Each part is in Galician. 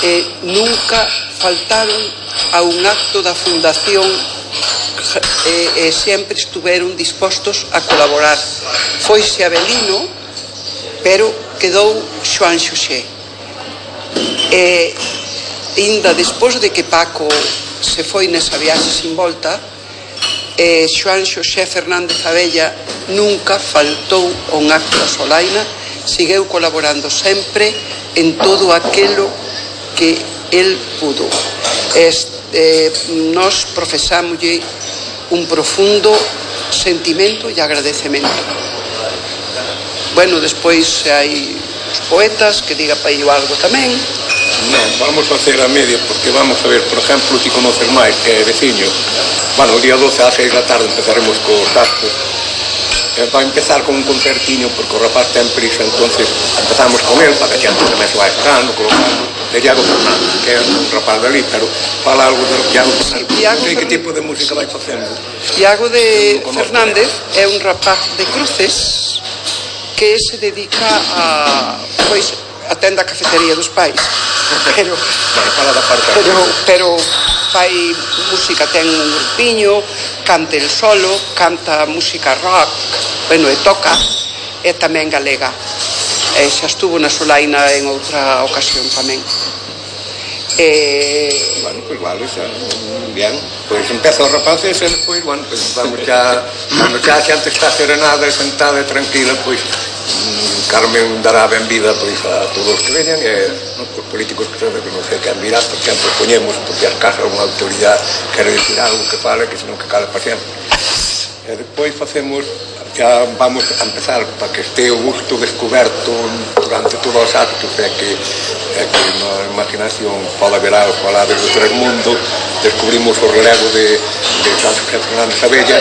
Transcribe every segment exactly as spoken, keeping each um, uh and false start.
eh, nunca faltaron a un acto da fundación e eh, eh, sempre estuveron dispostos a colaborar. Foise Abelino, pero quedou Xoán Xosé. E ainda despois de que Paco se foi nesa viaxe sin volta, eh, Xoán Xosé Fernández Abella nunca faltou a un acto da Solaina, segueu colaborando sempre en todo aquilo que el pudo. Este, eh, nos profesámoslle un profundo sentimento e agradecemento. Bueno, despois hai os poetas que diga para ello algo tamén. Non, vamos facer a media, porque vamos a ver, por exemplo, ti conoces máis, que é veciño. Bueno, o día doce ás seis da tarde empezaremos cos actos. Eh, vai empezar con un concertiño, porque o rapaz ten prisa, entonces empezamos con el, para que a xente tamén se vai esperando, colocando, de Iago Fernández, que é un rapaz de ali, pero fala algo de Iago Fernández. Sí, Iago que, Fer... que tipo de música vai facendo? Iago de Fernández é un rapaz de Cruces que se dedica a, pois, a tenda a cafetería dos pais, pero bueno, fala da parte pero, pero fai música, ten un grupiño, canta el solo, canta música rock, bueno, e toca, e tamén galega. E xa estuvo na Solaina en outra ocasión tamén. E... Bueno, pues vale, xa, bien. Pois pues empeza o rapaz e despois, bueno, pues vamos xa, cando xa xa antes está serenada e sentada e tranquila, pois pues, Carmen dará benvida pois a todos os que veñan e no, os políticos que saben que non sei quen virá, por exemplo, poñemos, porque as casas unha autoridade quere dicir algo que fale, que senón que cale para sempre. E despois facemos, xa vamos a empezar para que este o gusto descoberto durante todos os actos, é que, é que na imaginación pode haber algo falar desde o tres mundo, descubrimos o relevo de, de San José Fernández Abella,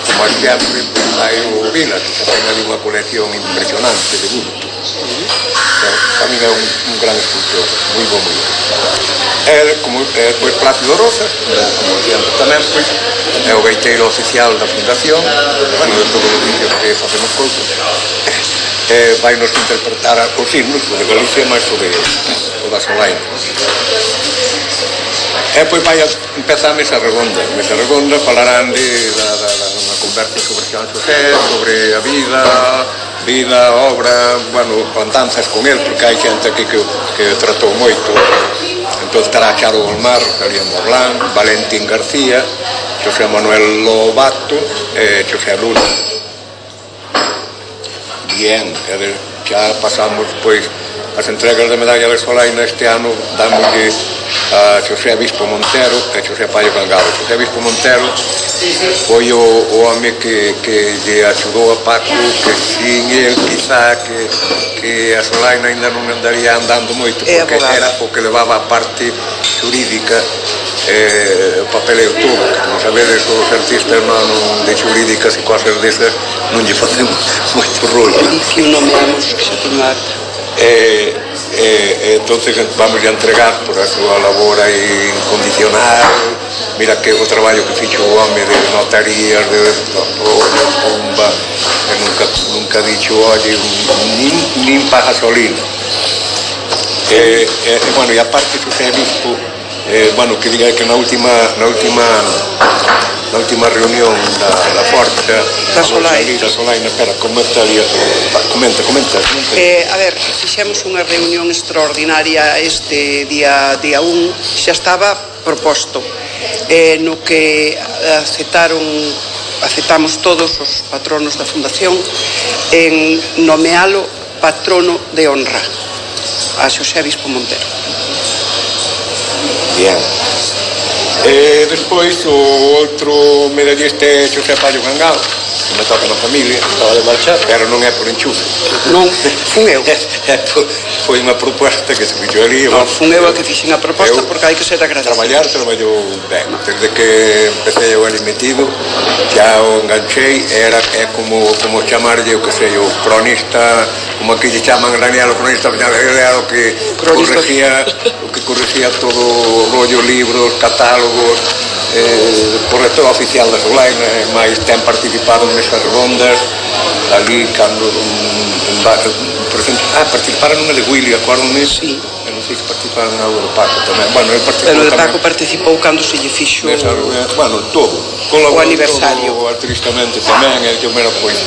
como sempre pues, hai o Vilas, que ten ali unha colección impresionante de gusto. Então, para mí é un, un gran escultor, moi bom, moi bom. É, como, é, pois, Plácido Rosa, como sempre tamén, pois, é o gaiteiro oficial da fundación, bueno, de todos os vídeos que facemos cousas, eh, vai nos interpretar os himnos, o de Galicia, máis o de o da Solaina. E pois vai a empezar a mesa redonda. A mesa redonda falarán de da, da, da, unha conversa sobre Xoán Xosé, sobre a vida, vida, obra, bueno, andanzas con el, porque hai xente aquí que, que tratou moito. Entón estará Charo Olmar, Rosalía Morlán, Valentín García, José Manuel Lobato e José Luna. Bien, xa pasamos, pois, as entregas de medalla de Solaina este ano dámoslle a Xosé Bispo Montero e Xosé Paio Cangado. Xosé Bispo Montero foi o, o home que, que lle axudou a Paco, que sin el quizá que, que a Solaina ainda non andaría andando moito, porque era o que levaba a parte xurídica, eh, o papeleo todo. Non sabedes, os artistas non, non de xurídicas e cosas desas non lle facemos moito rollo. Edición nomeamos que xa ten a E, e, e entonces vamos a entregar por a súa labor aí incondicional. Mira que o traballo que fixo o home de notarías, de bomba, e nunca, nunca dicho, oye, nin, nin pa gasolina. E, e, bueno, e aparte Xosé Bispo, eh, bueno, que diga que na última na última na última reunión da, da Forza da Solaina, da Solaina, espera, comenta, comenta, comenta, comenta. Eh, a ver, fixemos unha reunión extraordinaria este día día un, xa estaba proposto, eh, no que aceptaron aceptamos todos os patronos da Fundación en nomealo patrono de honra a Xosé Bispo Montero. Bien. E despois o outro medallista é Xosé Paio Cangado, que me toca na familia, estaba de marchar, pero non é por enchufe. Non, fun eu. Foi unha proposta que se fixo ali. Non, fun eu a que fixen a proposta porque hai que ser agradecido. Traballar, traballou ben. Desde que empecé eu ali metido, xa o enganchei, era é como, como chamarlle o que sei, o cronista, como aquí lle chaman Daniel o cronista, era o que corregía, o que corregía todo o rollo, libros, catálogos, eh, corrector oficial da Solaina, máis ten participado nesas rondas ali cando um, por exemplo, ah, participaron nunha de Willy, acordo-me, sí. Non sei se participaron en algo do Paco tamén. Bueno, el participou Pero o de tamén. Paco participou cando se lle fixo Nesa, bueno, todo. o aniversario. Todo artísticamente tamén, e que, mira, pois,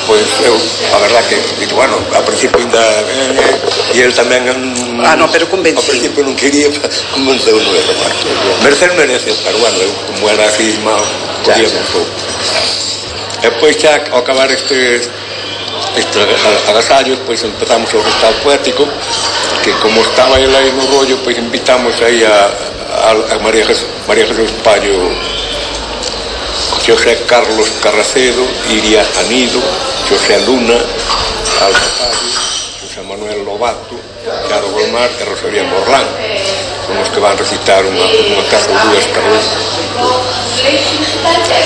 pois eu, a verdad que, digo, bueno, a principio ainda, eh, e el tamén, ah, no, pero convencido. ao principio non quería, convenceu no de reparto. Merecer merece, pero bueno, eu, como era así, mal, podía un pouco. E pois xa, ao acabar este este agasallo, pois empezamos o recital poético, que como estaba ele aí no rollo, pois invitamos aí a, a, a María Jesús, María Jesús Pallo, José Carlos Carracedo, Iria Anido, José Luna, Alba Pallo, José Manuel Lobato, Charo Golmar e Rosalía Morlán. Son os que van recitar unha, unha casa ou dúas cada un.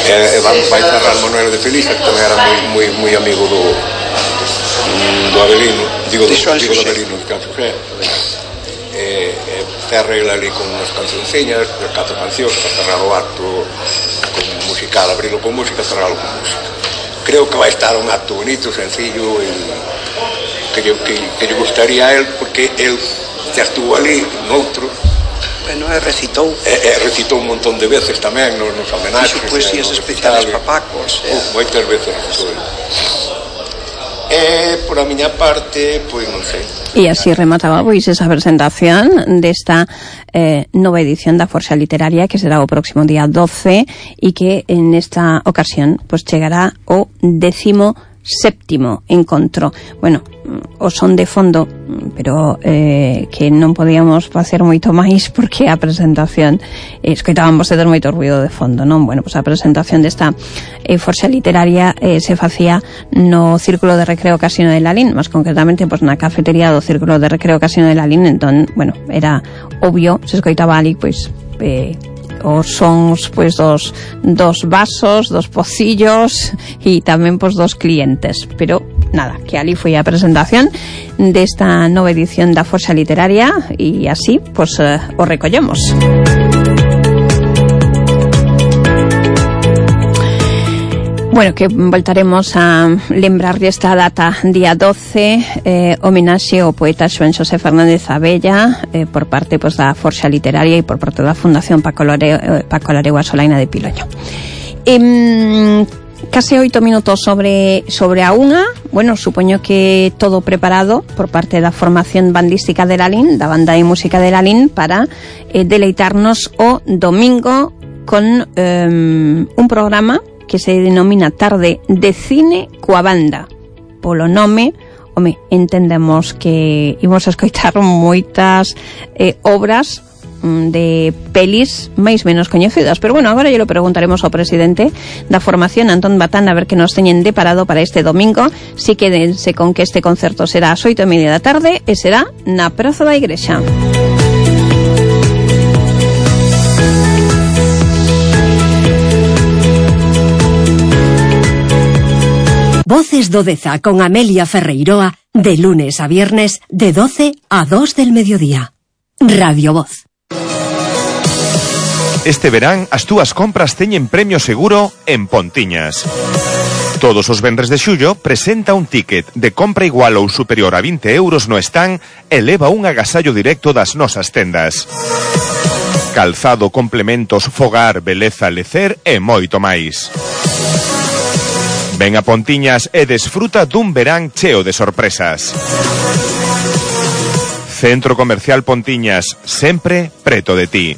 E, e van, vai cerrar Manuel de Felisa, que tamén era moi, moi, moi amigo do do Avelino, digo, do, digo do Avelino, de Can Xosé. E, e cerra ele ali con unhas cancionciñas, catro cancións, para cerrar o acto con musical, abrilo con música, cerralo con música. Creo que vai estar un acto bonito, sencillo, e que lle que, que lle gustaría a él, porque él xa estuvo ali noutro. Bueno, e recitou. E, e recitou un montón de veces tamén nos, nos homenaxes. Fixo poesías especiales para Pacos. Uh, moitas veces recitou él. E, por a miña parte, pois non sei. E así remataba pois esa presentación desta eh, nova edición da Forxa Literaria, que será o próximo día doce, e que en esta ocasión pois chegará o décimo séptimo encontro. Bueno, o son de fondo, pero eh, que non podíamos facer moito máis porque a presentación eh, escoitaban vostedes moito ruido de fondo, non? Bueno, pois a presentación desta eh, Forxa Literaria eh, se facía no Círculo de Recreo Casino de Lalín, máis concretamente pois na cafetería do Círculo de Recreo Casino de Lalín. Entón, bueno, era obvio, se escoitaba ali pois eh, os sons pois dos dos vasos, dos pocillos e tamén pois dos clientes, pero nada, que ali foi a presentación desta nova edición da Forxa Literaria e así pois eh, o recollemos. Bueno, que voltaremos a lembrar desta data día doce, eh, homenaxe ao poeta Xoán Xosé Fernández Abella eh, por parte pois, da Forxa Literaria e por parte da Fundación Paco Lareu, Paco Lareu a Solaina de Piloño. Eh, case oito minutos sobre sobre a unha. Bueno, supoño que todo preparado por parte da formación bandística de Lalín, da banda de música de Lalín, para eh, deleitarnos o domingo con eh, un programa que se denomina Tarde de Cine coa Banda. Polo nome, home, entendemos que imos a escoitar moitas eh, obras de pelis máis menos coñecidas, pero bueno, agora lle lo preguntaremos ao presidente da formación, Antón Batán, a ver que nos teñen deparado para este domingo. Si quédense con que este concerto será ás oito e media da tarde e será na Praza da Igrexa. Voces do Deza con Amelia Ferreiroa, de lunes a viernes de doce a dos del mediodía. Radio Voz. Este verán as túas compras teñen premio seguro en Pontiñas. Todos os venres de xullo presenta un ticket de compra igual ou superior a vinte euros no stand e leva un agasallo directo das nosas tendas. Calzado, complementos, fogar, beleza, lecer e moito máis. Ven a Pontiñas e desfruta dun verán cheo de sorpresas. Centro Comercial Pontiñas, sempre preto de ti.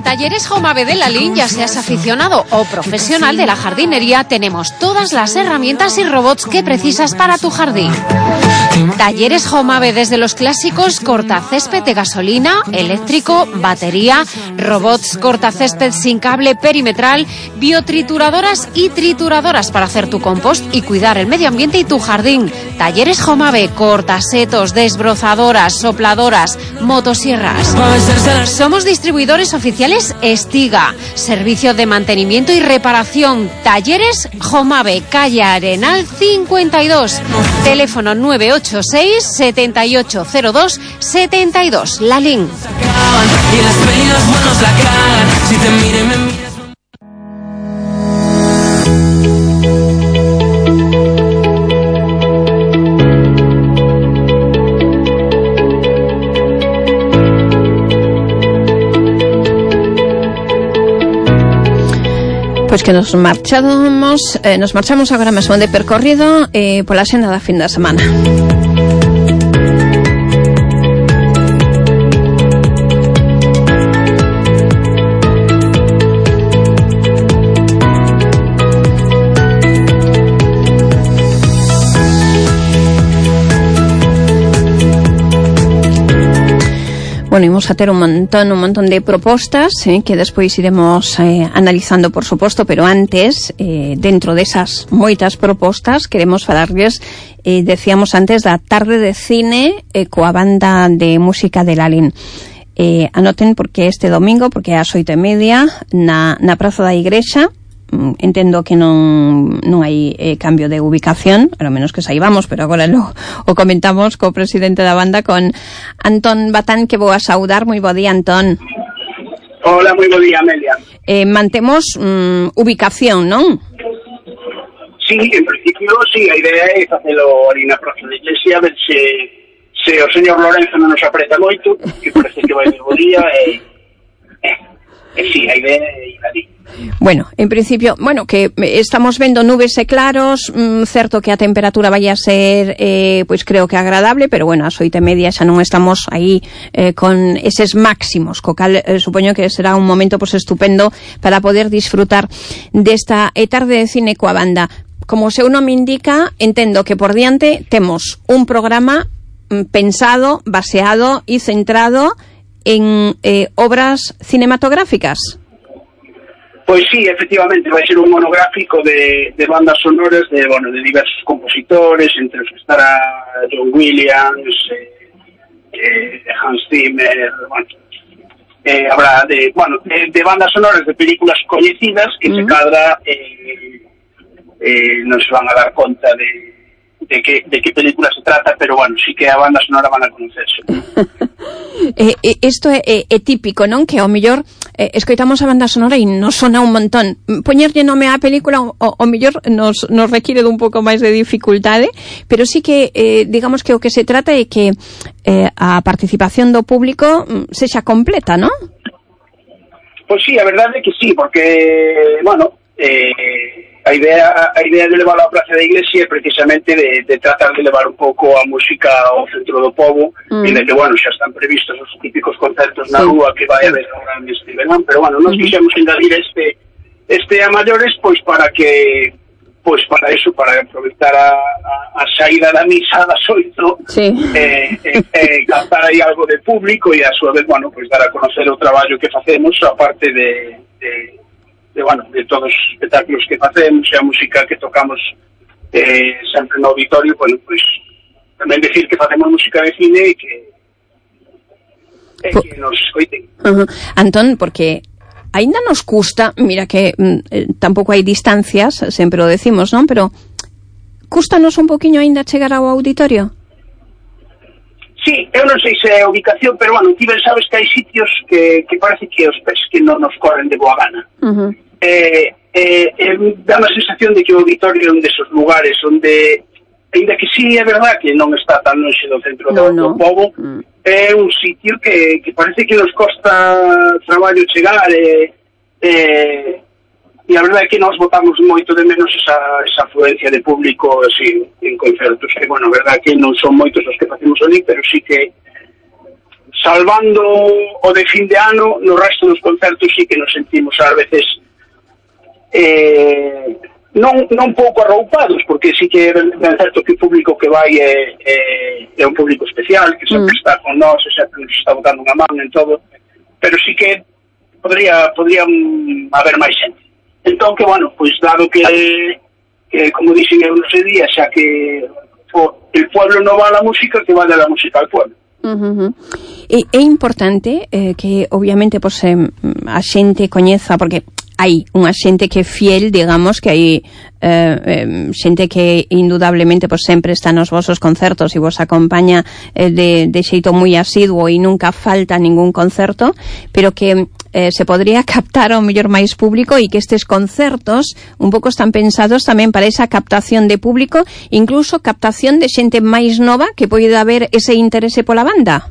Talleres Jomave de Lalín, ya seas aficionado o profesional de la jardinería, tenemos todas las herramientas y robots que precisas para tu jardín. Talleres Jomave, desde los clásicos cortacésped de gasolina, eléctrico, batería, robots cortacésped sin cable perimetral, biotrituradoras y trituradoras para hacer tu compost y cuidar el medio ambiente y tu jardín. Talleres Jomave, cortasetos, desbrozadoras, sopladoras, motosierras. Somos distribuidores oficiales Estiga, servicio de mantenimiento y reparación. Talleres Jomave, calle Arenal cincuenta y dos, teléfono nueve ocho seis, siete ocho cero dos, siete dos. Lalín. Pois que nos marchamos, eh, nos marchamos agora mesmo de percorrido eh, pola xenda da fin da semana. Bueno, imos a ter un montón, un montón de propostas eh, que despois iremos eh, analizando, por suposto, pero antes, eh, dentro desas moitas propostas, queremos falarles, eh, decíamos antes, da tarde de cine eh, coa banda de música de Lalín. Eh, anoten porque este domingo, porque é ás oito e media, na, na Praza da Igrexa. Entendo que non, non hai eh, cambio de ubicación, a lo menos que saibamos, pero agora lo, o comentamos co presidente da banda, con Antón Batán, que vou a saudar. Moi bo día, Antón. Hola, moi bo día, Amelia. Eh, mantemos mm, ubicación, non? Sí, en principio, sí, a idea é facelo ali na Praza da Iglesia, a ver se, se o señor Lorenzo non nos apreta moito, que parece que vai bo día, e, e, e sí, a idea é ir ali. Bueno, en principio, bueno, que estamos vendo nubes e claros, mm, certo que a temperatura vai a ser, eh, pois creo que agradable, pero bueno, ás oito e media xa non estamos aí eh, con eses máximos, co cal eh, supoño que será un momento pois estupendo para poder disfrutar desta eh, tarde de cine coa banda. Como o seu nome indica, entendo que por diante temos un programa mm, pensado, baseado e centrado en eh, obras cinematográficas. Pois sí, efectivamente, vai ser un monográfico de, de bandas sonoras de, bueno, de diversos compositores, entre os que estará John Williams, eh, eh, Hans Zimmer, bueno, eh, habrá de, bueno, de, de bandas sonoras de películas coñecidas que mm. se cadra eh, eh, non se van a dar conta de, de, que, de que película se trata, pero bueno, sí que a banda sonora van a conocerse. eh, eh, isto é, é, é típico, non? Que ao mellor eh, escoitamos a banda sonora e nos sona un montón. Poñerlle nome á película o, o mellor nos, nos require dun pouco máis de dificultade, pero sí que eh, digamos que o que se trata é que eh, a participación do público sexa completa, non? Pois sí, a verdade é que sí, porque, bueno, eh, a idea a idea de levar a Praza da Iglesia é precisamente de, de tratar de levar un pouco a música ao centro do pobo, mm. e de que, bueno, xa están previstos os típicos concertos na sí. rúa que vai haber agora neste verán, pero, bueno, nos mm. quixemos engadir este este a maiores, pois, para que pois para eso, para aproveitar a, a, a saída da misa das oito, sí. eh, eh, eh, cantar aí algo de público e a súa vez, bueno, pois dar a conocer o traballo que facemos, aparte de, de de, bueno, de todos os espectáculos que facemos e a música que tocamos eh, sempre no auditorio, bueno, pois tamén decir que facemos música de cine e que, e po... que nos escoiten. Uh-huh. Antón, porque aínda nos custa, mira que mm, tampouco hai distancias, sempre o decimos, non? Pero cústanos un poquinho aínda chegar ao auditorio? Sí, eu non sei se é ubicación, pero, bueno, ti ben sabes que hai sitios que, que parece que os pés que non nos corren de boa gana. Uh-huh. Eh, eh, eh, dá a sensación de que o auditorio é un desos lugares onde, ainda que sí é verdad que non está tan longe do centro no, do, no. do pobo, uh-huh. é un sitio que, que parece que nos costa traballo chegar, e, eh, e a verdade é que nós botamos moito de menos esa, esa afluencia de público así, en concertos, que, bueno, a verdade é que non son moitos os que facemos ali, pero sí que salvando o de fin de ano, no resto dos concertos sí que nos sentimos ás veces eh, non, non pouco arroupados, porque sí que é ben certo que o público que vai é, é, é un público especial, que sempre mm. está con nós, e sempre nos está botando unha man en todo, pero sí que podría, podría haber máis xente. Entón, que, bueno, pois dado que, que como dixen eu no sei día, xa que o, el pueblo non va a la música, que vaya a la música al pueblo. Uh-huh. E é importante eh, que obviamente pois, eh, a xente coñeza, porque hai unha xente que é fiel, digamos, que hai eh, eh, xente que indudablemente pois, sempre está nos vosos concertos e vos acompaña eh, de, de xeito moi asiduo e nunca falta ningún concerto, pero que eh, se podría captar ao mellor máis público e que estes concertos un pouco están pensados tamén para esa captación de público, incluso captación de xente máis nova que poida haber ese interese pola banda.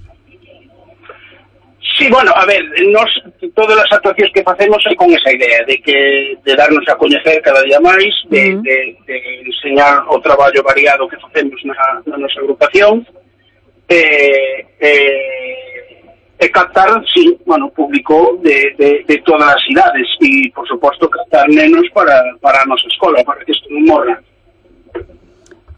Sí, bueno, a ver, nos, todas as actuacións que facemos é con esa idea de que de darnos a coñecer cada día máis, de, uh-huh. de, de enseñar o traballo variado que facemos na, na nosa agrupación, e, e, e captar, sí, bueno, público de, de, de todas as idades e, por suposto, captar nenos para, para a nosa escola, para que isto non morra.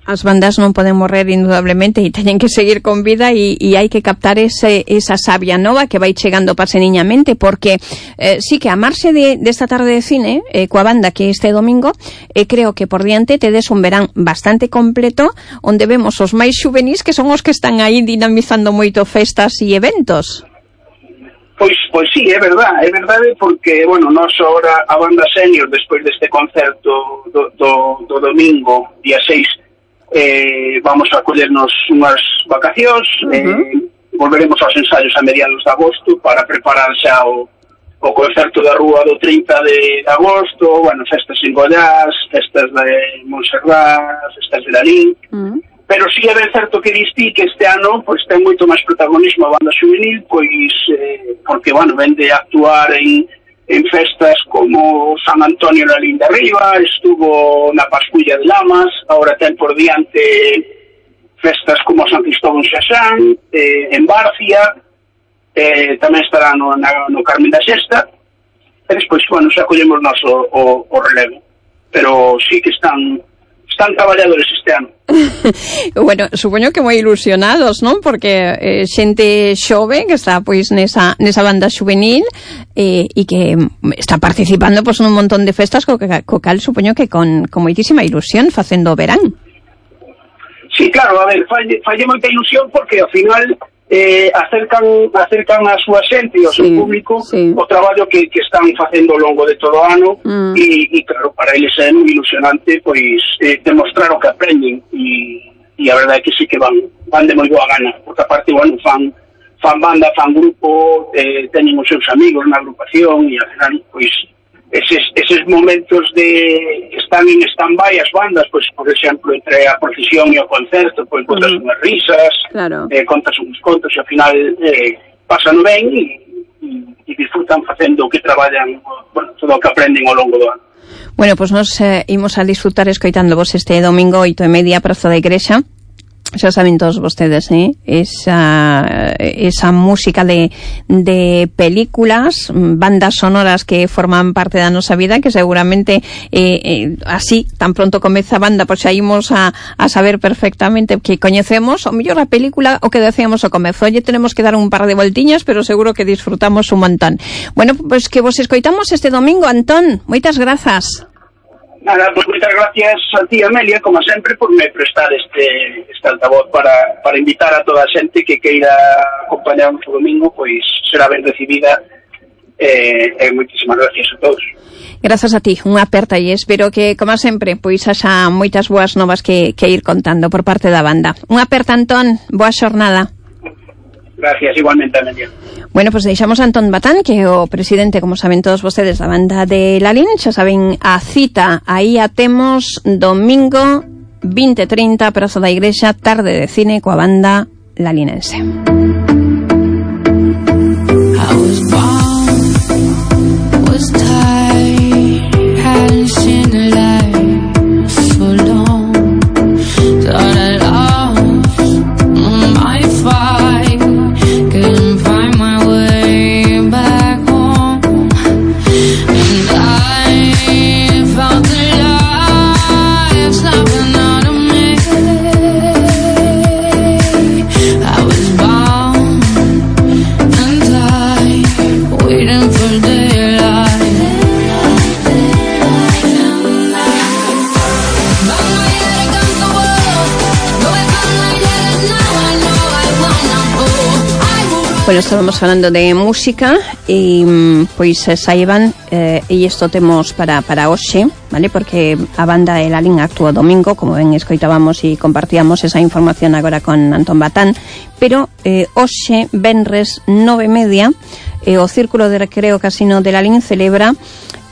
As bandas non poden morrer indudablemente e teñen que seguir con vida e, e hai que captar ese, esa sabia nova que vai chegando paseniñamente, porque eh, sí que a marxe de, desta tarde de cine eh, coa banda que este domingo eh, creo que por diante tedes un verán bastante completo onde vemos os máis xuvenís que son os que están aí dinamizando moito festas e eventos. Pois, pois sí, é verdade, é verdade porque, bueno, nós agora a banda senior despois deste concerto do, do, do domingo, día seis, Eh, vamos a collernos unhas vacacións, uh-huh. eh, volveremos aos ensaios a mediados de agosto para preparar xa o, o concerto da Rúa do trinta de agosto, bueno, festas en Goiás, festas de Montserrat, festas de Lalín, uh-huh. pero sí é ben certo que distí que este ano pois ten moito máis protagonismo a banda juvenil, pois eh, porque, bueno, ven de actuar en en festas como San Antonio na Linda Arriba, estuvo na Pasculla de Lamas, ahora ten por diante festas como San Cristóbal Xaxán, eh, en Barcia, eh, tamén estará no, na, no Carmen da Xesta, e despois, bueno, xa collemos noso o, o relevo. Pero sí que están están traballadores este ano. Bueno, supoño que moi ilusionados, non? Porque eh, xente xove que está pois nesa, nesa banda juvenil eh, e que está participando pois nun montón de festas co, co cal supoño que con, con moitísima ilusión facendo o verán. Sí, claro, a ver, falle, falle moita ilusión porque ao final eh, acercan acercan a súa xente e ao seu sí, público sí. o traballo que, que están facendo ao longo de todo o ano mm. e, e claro, para eles é moi ilusionante pois eh, demostrar o que aprenden e, e a verdade é que sí que van van de moi boa gana, porque aparte, bueno, fan fan banda, fan grupo, eh, teñen os seus amigos na agrupación e ao final, pois eses, eses momentos de están en stand-by as bandas, pois, por exemplo, entre a procesión e o concerto, pois, contas uh-huh. unhas risas, claro. eh, contas uns contos e ao final eh, pasan ben e, e disfrutan facendo o que traballan, bueno, todo o que aprenden ao longo do ano. Bueno, pois pues nos eh, imos a disfrutar escoitando vos este domingo oito e media Praza da Igrexa. Xa saben todos vostedes, eh? esa, esa música de, de películas, bandas sonoras que forman parte da nosa vida, que seguramente eh, eh, así, tan pronto comeza a banda, pois xa imos a, a saber perfectamente que coñecemos, o mellor a película o que decíamos ao comezo, oye, tenemos que dar un par de voltiñas, pero seguro que disfrutamos un montón. Bueno, pois pues que vos escoitamos este domingo, Antón, moitas grazas. Nada, pues moitas gracias a ti, Amelia, como sempre, por me prestar este, este altavoz para, para invitar a toda a xente que queira acompañarnos o domingo, pois será ben recibida e eh, eh, moitísimas gracias a todos. Grazas a ti, unha aperta e espero que, como sempre, pois haxa moitas boas novas que, que ir contando por parte da banda. Unha aperta, Antón, boa xornada. Gracias, igualmente, Amelia. Bueno, pues deixamos a Antón Batán, que é o presidente, como saben todos vostedes, da banda de Lalín. Xa saben a cita, aí a temos domingo veinte trinta, Praza da Igrexa, tarde de cine coa banda lalinense. Bueno, estábamos falando de música e pois saiban eh, e isto temos para, para hoxe, vale? Porque a banda de Lalín actúa domingo, como ben escoitábamos e compartíamos esa información agora con Antón Batán, pero eh, hoxe, venres nove e media, eh, o Círculo de Recreo Casino de Lalín celebra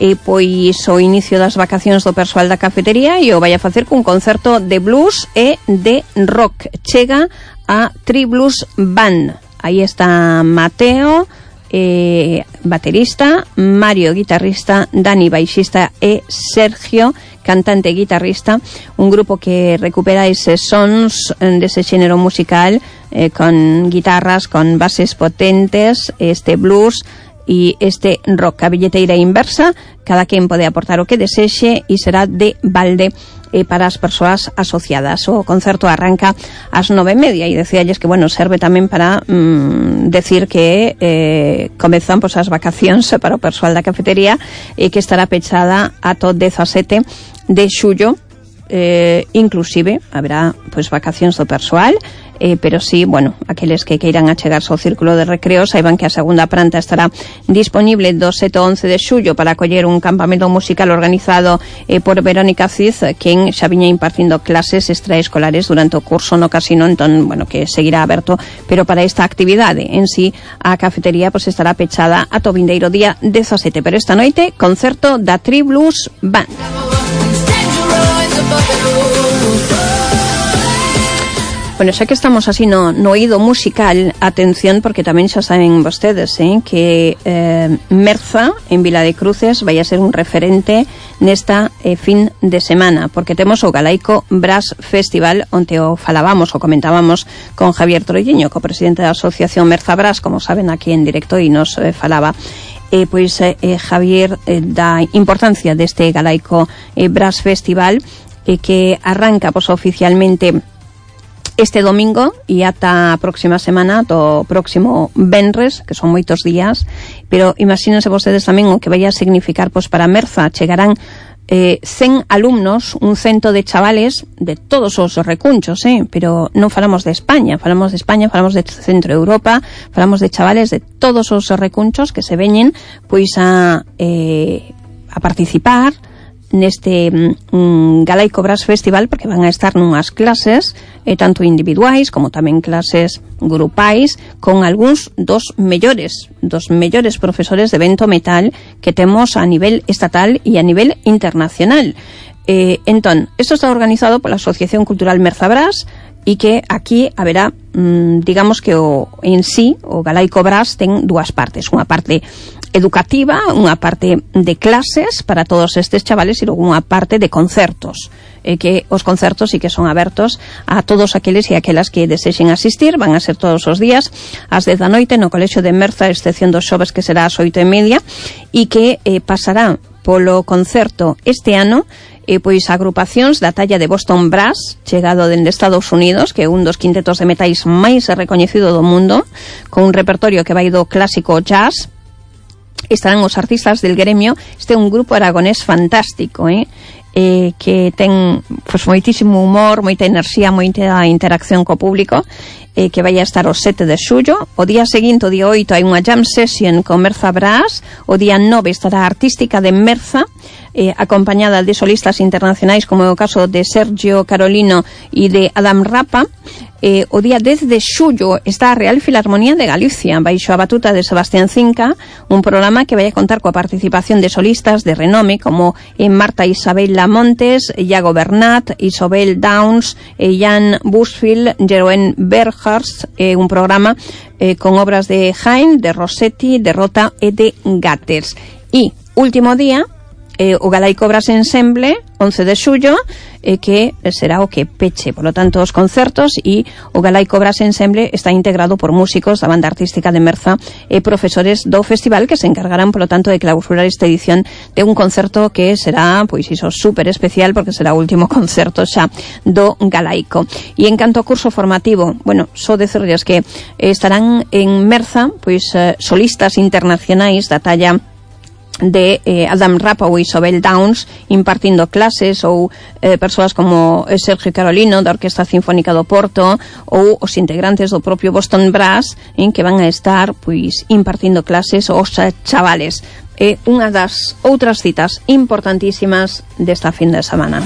eh, pois o inicio das vacacións do persoal da cafetería e o vai a facer cun concerto de blues e de rock. Chega a Tri Blues Band. Aí está Mateo eh, baterista, Mario guitarrista, Dani baixista e Sergio cantante e guitarrista, un grupo que recupera eses sons dese xénero musical eh, con guitarras, con bases potentes, este blues e este rock. A billeteira inversa, cada quen pode aportar o que desexe e será de balde eh, para as persoas asociadas. O concerto arranca ás nove e media e decíalles que, bueno, serve tamén para mm, decir que eh, comezan pois, as vacacións para o persoal da cafetería e que estará pechada ata o dezasete de xullo, eh, inclusive haberá pois vacacións do persoal, eh, pero sí, bueno, aqueles que queiran achegarse ao círculo de recreo saiban que a segunda planta estará disponible do sete ao once de xullo para acoller un campamento musical organizado eh, por Verónica Cid, quen xa viña impartindo clases extraescolares durante o curso no casino, entón, bueno, que seguirá aberto, pero para esta actividade en sí a cafetería pois estará pechada ata o vindeiro día dezasete, pero esta noite concerto da Tri Blues Band. Bueno, xa que estamos así no, no oído musical, atención, porque tamén xa saben vostedes eh, que eh, Merza, en Vila de Cruces, vai a ser un referente nesta eh, fin de semana, porque temos o Galaico Brass Festival, onde o falábamos, o comentábamos con Javier Troiño, co presidente da Asociación Merza Brass, como saben, aquí en directo, e nos eh, falaba eh, pois eh, Javier eh, da importancia deste Galaico eh, Brass Festival, eh, que arranca pois, oficialmente este domingo e ata a próxima semana, do próximo venres, que son moitos días, pero imagínense vostedes tamén o que vai a significar pois, para Merza. Chegarán eh, cen alumnos, un cento de chavales de todos os recunchos, eh? Pero non falamos de España, falamos de España, falamos de Centro Europa, falamos de chavales de todos os recunchos que se veñen pois a, eh, a participar neste mm, Galaico Brass Festival, porque van a estar nunhas clases eh, tanto individuais como tamén clases grupais con algúns dos mellores dos mellores profesores de vento metal que temos a nivel estatal e a nivel internacional. Eh, entón, isto está organizado pola Asociación Cultural Merza Brass e que aquí haberá, mmm, digamos que o en sí, o Galaico Brass ten dúas partes, unha parte educativa, unha parte de clases para todos estes chavales e logo unha parte de concertos, eh, que os concertos sí que son abertos a todos aqueles e aquelas que desexen asistir. Van a ser todos os días ás dez da noite no Colexio de Merza, excepción dos xoves que será ás oito e media, e que eh, pasará polo concerto este ano e pois agrupacións da talla de Boston Brass, chegado dende Estados Unidos, que é un dos quintetos de metais máis recoñecido do mundo, con un repertorio que vai do clásico jazz. Estarán os artistas del gremio. Este é un grupo aragonés fantástico, eh? Eh, que ten pues, moitísimo humor, moita enerxía, moita interacción co público, eh, que vai a estar o sete de xullo. O día seguinte, o día oito, hai unha jam session con Merza Brass. O día nove estará a Artística de Merza, eh, acompañada de solistas internacionais como é o caso de Sergio Carolino e de Adam Rapa. Eh, o día dez de xullo está a Real Filarmonía de Galicia baixo a batuta de Sebastián Cinca, un programa que vai a contar coa participación de solistas de renome como eh, Marta Isabel Lamontes, Iago Bernat, Isobel Downs, eh, Jan Busfield, Jeroen Berghars, eh, un programa eh, con obras de Haydn, de Rossetti, de Rota e de Gatters. E último día, eh, o Galaico Brass Ensemble, once de xullo, eh, que será o que peche, por lo tanto, os concertos, e o Galaico Brass Ensemble está integrado por músicos da banda artística de Merza e profesores do festival que se encargarán, por lo tanto, de clausurar esta edición de un concerto que será, pois iso, super especial, porque será o último concerto xa do Galaico. E en canto ao curso formativo, bueno, só decirles que estarán en Merza, pois, eh, solistas internacionais da talla de eh, Adam Rapa ou Isobel Downs impartindo clases, ou eh, persoas como Sergio Carolino da Orquesta Sinfónica do Porto, ou os integrantes do propio Boston Brass, en que van a estar pois impartindo clases aos chavales. É unha das outras citas importantísimas desta fin de semana.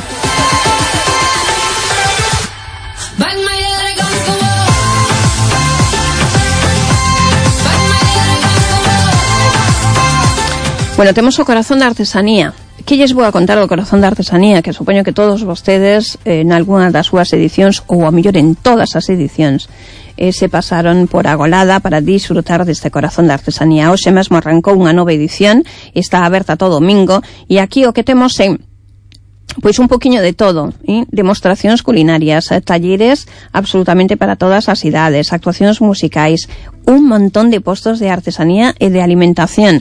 Bueno, temos o Corazón da Artesanía. Que lles vou a contar o Corazón da Artesanía? Que supoño que todos vostedes, eh, en algunha das súas edicións, ou a mellor en todas as edicións, eh, se pasaron por Agolada para disfrutar deste corazón da artesanía. Hoxe mesmo arrancou unha nova edición, está aberta todo domingo, e aquí o que temos é pois un poquinho de todo, ¿eh? Demostracións culinarias, eh, talleres absolutamente para todas as idades, actuacións musicais, un montón de postos de artesanía e de alimentación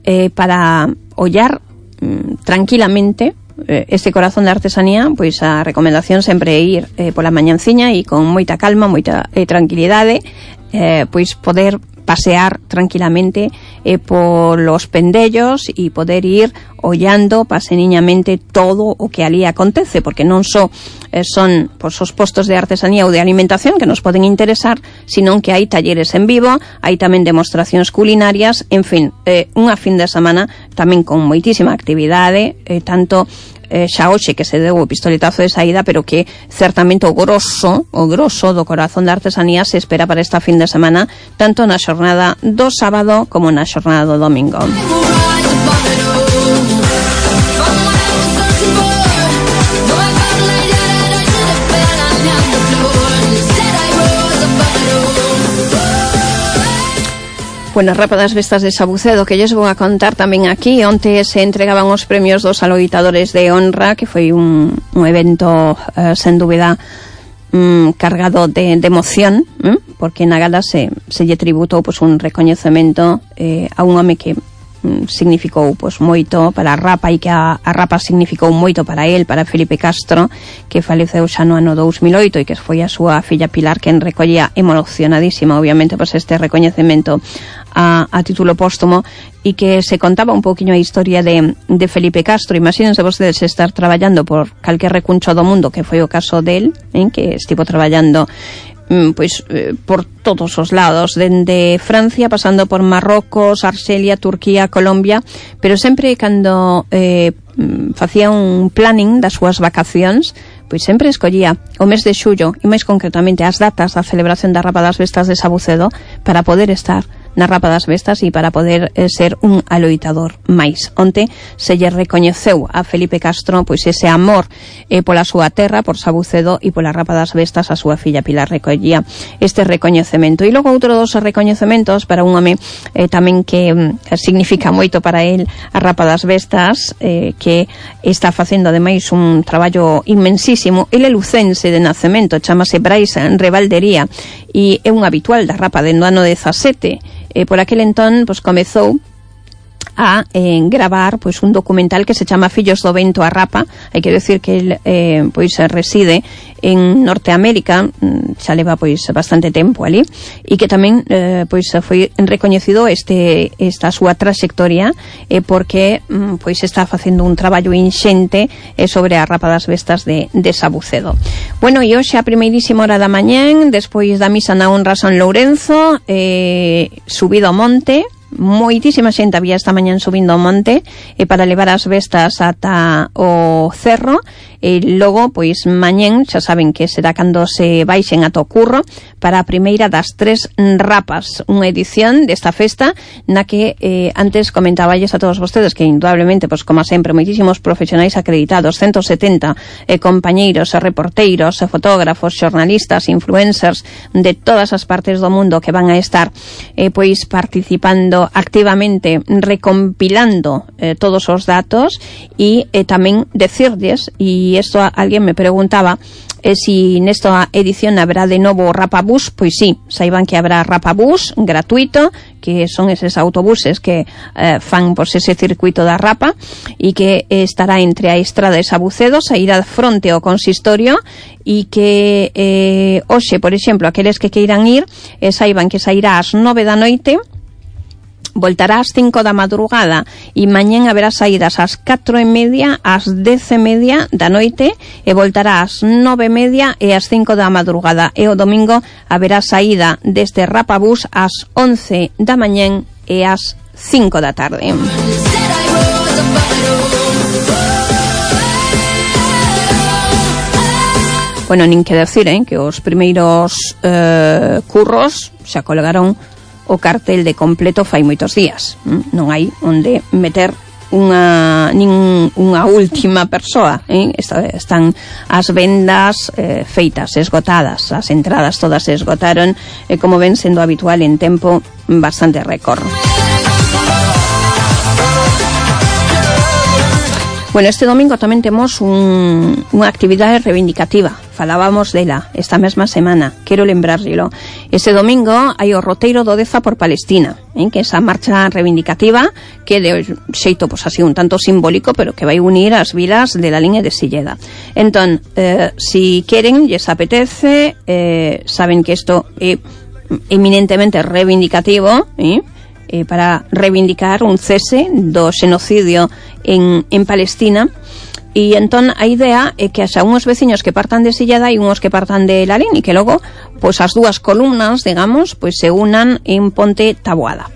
eh, para ollar mm, tranquilamente este corazón de artesanía. Pois a recomendación sempre é ir eh, pola mañanciña e con moita calma, moita eh, tranquilidade, eh, pois poder pasear tranquilamente eh, polos pendellos e poder ir ollando paseniñamente todo o que ali acontece, porque non só eh, son pois, os postos de artesanía ou de alimentación que nos poden interesar, sino que hai talleres en vivo, hai tamén demostracións culinarias, en fin, eh, unha fin de semana tamén con moitísima actividade, eh, tanto eh, xa hoxe que se deu o pistoletazo de saída, pero que certamente o grosso, o grosso do corazón da artesanía se espera para esta fin de semana, tanto na xornada do sábado como na xornada do domingo. Bueno, Rapa das Vestas de Sabucedo, que lles vou a contar tamén aquí. Onte se entregaban os premios dos aloitadores de honra, que foi un, un evento, eh, sen dúbida, um, cargado de, de emoción, eh? Porque na gala se, se lle tributou pues, un recoñecemento eh, a un home que um, significou pues, moito para a Rapa, e que a, a Rapa significou moito para él, para Felipe Castro, que faleceu xa no ano dous mil oito, e que foi a súa filla Pilar quen recollía, emocionadísima, obviamente, pues, este recoñecemento A, a título póstumo, e que se contaba un poquinho a historia de, de Felipe Castro. Imagínense vostedes estar traballando por calquer recuncho do mundo, que foi o caso del, eh, que estivo traballando mm, pois, eh, por todos os lados, dende Francia, pasando por Marrocos, Arxelia, Turquía, Colombia, pero sempre cando eh, facía un planning das súas vacacións, pois sempre escollía o mes de xullo, e máis concretamente as datas da celebración da Rapa das Vestas de Sabucedo, para poder estar na Rapa das Vestas e para poder eh, ser un aloitador máis. Onte se lle recoñeceu a Felipe Castro pois ese amor eh, pola súa terra, por Sabucedo, e pola Rapa das Vestas a súa filla Pilar recollía este recoñecemento. E logo outro dos recoñecementos para un home eh, tamén que eh, significa moito para él a Rapa das Vestas, eh, que está facendo ademais un traballo inmensísimo. Ele é lucense de nacemento, chamase Brais Rebaldería, e é un habitual da Rapa dende o ano dezasete. Eh, por aquel entón, pues, comezou a eh, gravar pois un documental que se chama Fillos do Vento a Rapa. Hai que decir que el eh, pois reside en Norteamérica, xa leva pois bastante tempo ali, e que tamén eh, pois foi recoñecido este esta súa traxectoria eh, porque pois está facendo un traballo inxente eh, sobre a Rapa das Vestas de, de Sabucedo. Bueno, e hoxe a primeirísima hora da mañán, despois da misa na honra San Lourenzo, eh, subido ao monte, moitísima xente había esta mañán subindo ao monte e para levar as vestas ata o cerro, e logo, pois, mañén, xa saben que será cando se baixen ata o curro para a primeira das tres rapas, unha edición desta festa na que eh, antes comentaballes a todos vostedes que indudablemente, pois, como sempre, moitísimos profesionais acreditados, ciento setenta eh, compañeiros, reporteiros, fotógrafos, xornalistas, influencers de todas as partes do mundo que van a estar eh, pois participando activamente, recompilando eh, todos os datos, e eh, tamén decirles, e isto alguén me preguntaba eh, si nesta edición habrá de novo Rapabús. Pois sí, saiban que habrá Rapabús gratuito, que son eses autobuses que eh, fan por ese circuito da Rapa, e que eh, estará entre a Estrada e Sabucedo, sairá fronte ao consistorio, e que eh, hoxe, por exemplo, aqueles que queiran ir, eh, saiban que sairá ás nove da noite, voltará ás cinco da madrugada, e mañén haberá saídas ás catro e media, ás dez e media da noite, e voltará ás nove e media e ás cinco da madrugada, e o domingo haberá saída deste Rapabús ás once da mañén e ás cinco da tarde. Bueno, nin que decir, eh, que os primeiros eh, curros xa colgaron o cartel de completo fai moitos días. Non hai onde meter unha nin unha última persoa, eh? Están as vendas eh, feitas, esgotadas, as entradas todas se esgotaron, eh, como ven sendo habitual en tempo bastante récord. Bueno, este domingo tamén temos un, unha actividade reivindicativa. Falábamos dela esta mesma semana. Quero lembrárllelo. Este domingo hai o roteiro do Deza por Palestina, eh, que é esa marcha reivindicativa que de xeito, pues, así un tanto simbólico, pero que vai unir as vilas de la liña de Silleda. Entón, eh, si queren, lles apetece, eh, saben que isto é eminentemente reivindicativo, eh, Eh, para reivindicar un cese do xenocidio en, en Palestina, e entón a idea é que haxa uns veciños que partan de Silleda e uns que partan de Lalín, e que logo pois as dúas columnas, digamos, pois se unan en Ponte Taboada.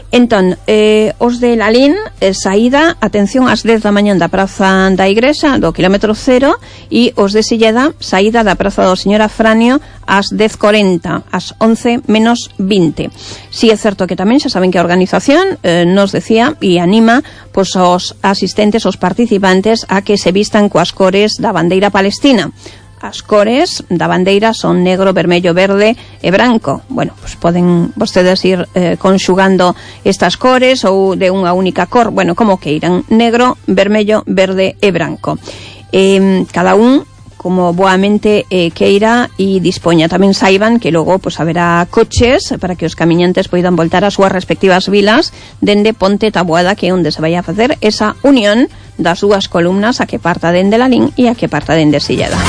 Entón, eh, os de Lalín, eh, saída, atención, ás dez da mañán da Praza da Igrexa, do kilómetro cero, e os de Silleda, saída da Praza do Señor Afranio ás dez corenta, ás once menos vinte. Si é certo que tamén xa saben que a organización eh, nos decía e anima pois, os asistentes, os participantes, a que se vistan coas cores da bandeira palestina. As cores da bandeira son negro, vermello, verde e branco. Bueno, pues poden vostedes ir eh, conxugando estas cores ou de unha única cor, bueno, como que irán negro, vermello, verde e branco. Eh, cada un como boamente eh, queira e dispoña. Tamén saiban que logo pues, haberá coches para que os camiñantes poidan voltar ás súas respectivas vilas dende Ponte Taboada, que é onde se vai a facer esa unión das dúas columnas, a que parta dende Lalín e a que parta dende Silleda.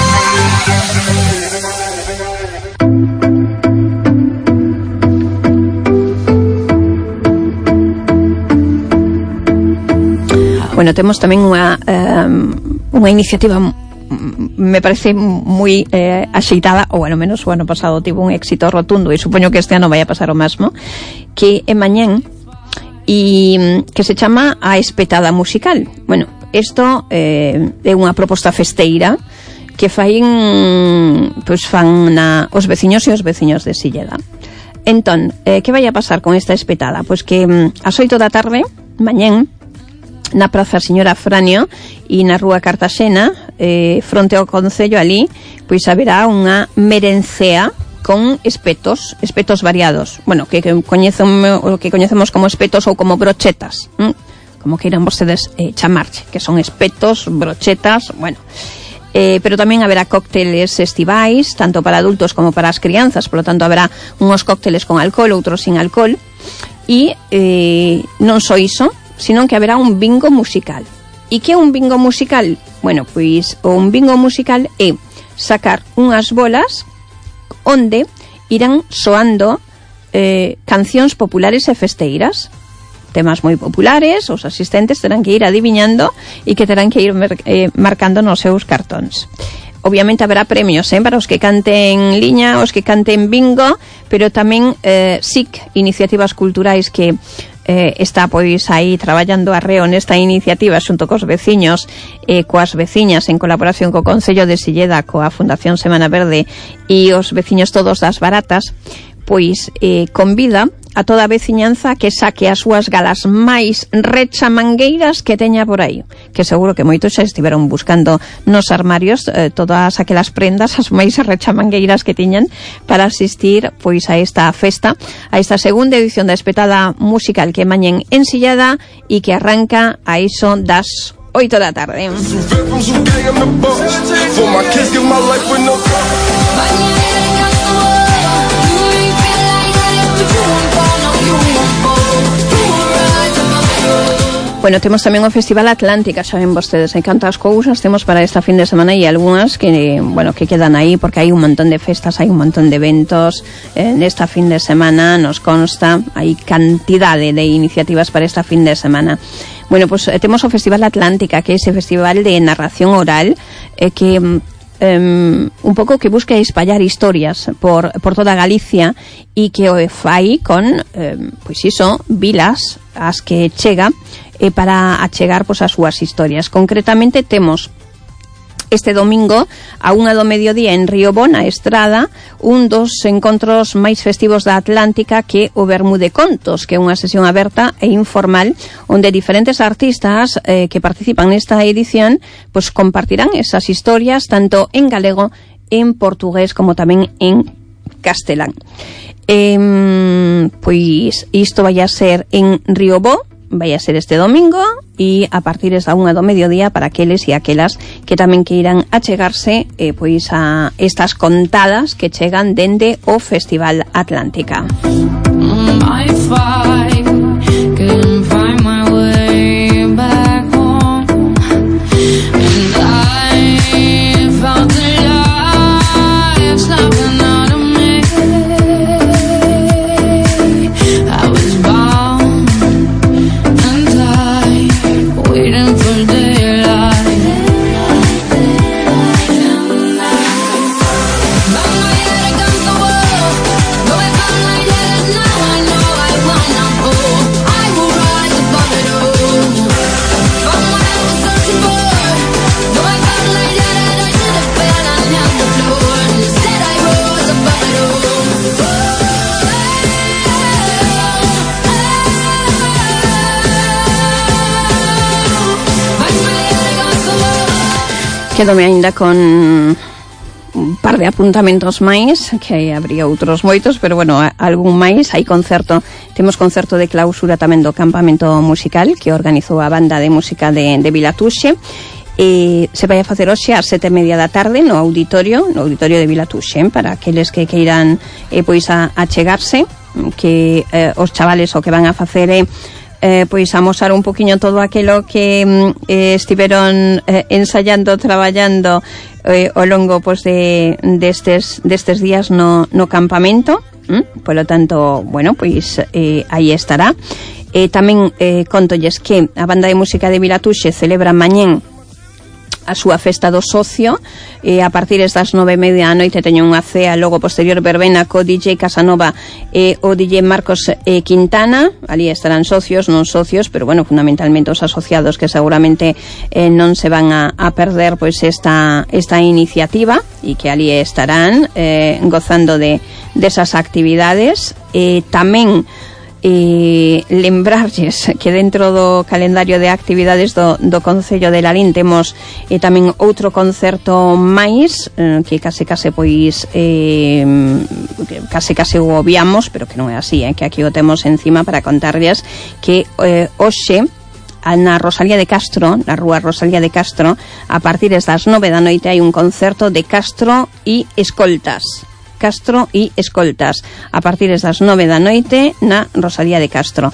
Bueno, temos tamén unha um, unha iniciativa me parece moi eh, axeitada, ou ao menos o ano pasado tivo un éxito rotundo e supoño que este ano vai a pasar o mesmo, que é mañán e que se chama a Espetada Musical. Bueno, isto eh, é unha proposta festeira que fain pois fan na, os veciños e os veciños de Silleda. Entón, eh, que vai a pasar con esta espetada? Pois que ás oito da tarde mañán na Praza Señor Afranio e na Rúa Cartaxena, eh, fronte ao Concello ali, pois haberá unha merencea con espetos, espetos variados. Bueno, que, que coñecemos, o que coñecemos como espetos ou como brochetas, ¿m? Como queiran vostedes eh, chamarche, que son espetos, brochetas, bueno. Eh, pero tamén haberá cócteles estivais, tanto para adultos como para as crianzas, por lo tanto haberá uns cócteles con alcohol, outros sin alcohol, e eh, non só iso, sino que haberá un bingo musical. E que é un bingo musical? Bueno, pois un bingo musical é sacar unhas bolas onde irán soando eh, cancións populares e festeiras, temas moi populares. Os asistentes terán que ir adiviñando e que terán que ir mer- eh, marcando nos seus cartóns. Obviamente haberá premios eh, para os que canten liña, os que canten bingo, pero tamén eh, S I C, iniciativas culturais, que eh, está pois aí traballando arreo nesta iniciativa xunto cos veciños e eh, coas veciñas en colaboración co Concello de Silleda, coa Fundación Semana Verde e os veciños todos das Baratas, pois eh, convida a toda a veciñanza que saque as súas galas máis rechamangueiras que teña por aí, que seguro que moitos xa estiveron buscando nos armarios eh, todas aquelas prendas, as máis rechamangueiras que tiñan para asistir pois a esta festa, a esta segunda edición da Espetada Musical, que mañen en Silleda e que arranca a iso das oito da tarde. Bueno, temos tamén o Festival Atlántica, xa ven vostedes, hai cantas cousas temos para esta fin de semana e algunhas que, bueno, que quedan aí porque hai un montón de festas, hai un montón de eventos eh, nesta fin de semana, nos consta, hai cantidade de iniciativas para esta fin de semana. Bueno, pues eh, temos o Festival Atlántica, que é ese festival de narración oral eh, que Um, un pouco que busca espallar historias por, por toda Galicia e que o fai con um, pois iso, vilas as que chega eh, para achegar pois as súas historias. Concretamente temos este domingo a unha do mediodía en Riobó, na Estrada, un dos encontros máis festivos da Atlántica, que o Vermú de Contos, que é unha sesión aberta e informal onde diferentes artistas eh, que participan nesta edición pues compartirán esas historias tanto en galego, en portugués como tamén en castelán. Eh, pois isto vai a ser en Riobó, vai a ser este domingo, e a partir da unha do mediodía para aqueles e aquelas que tamén queiran achegarse eh, pois a estas contadas que chegan dende o Festival Atlántica. Quedome ainda con un par de apuntamentos máis, que habría outros moitos, pero bueno, algún máis. Hai concerto, temos concerto de clausura tamén do campamento musical que organizou a banda de música de, de Vilatuxe, e se vai a facer hoxe ás sete e media da tarde no auditorio, no auditorio de Vilatuxe, para aqueles que queiran eh, pois a, a chegarse, que eh, os chavales o que van a facer é Eh, pois amosar un poquinho todo aquilo que eh, estiveron eh, ensayando, traballando eh, ao longo pois, de, destes, destes días no, no campamento. ¿Mm? Polo tanto, bueno, pois eh, aí estará. Eh, tamén eh, contolles que a banda de música de Vilatuxe celebra mañén a súa festa do socio, e a partir das nove e media da noite teñen unha cea, logo posterior verbena co D J Casanova e o D J Marcos eh, Quintana. Ali estarán socios, non socios, pero bueno, fundamentalmente os asociados, que seguramente eh, non se van a, a perder pois esta, esta iniciativa, e que ali estarán eh, gozando de desas actividades. E tamén e lembrarlles que dentro do calendario de actividades do, do Concello de Lalín temos eh, tamén outro concerto máis eh, que case case pois eh, case case o obviamos, pero que non é así, eh, que aquí o temos encima para contarlles que eh, hoxe na Rosalía de Castro, na rúa Rosalía de Castro, a partir das nove da noite hai un concerto de Castro e Escoltas. Castro e Escoltas, a partir das nove da noite na Rosalía de Castro.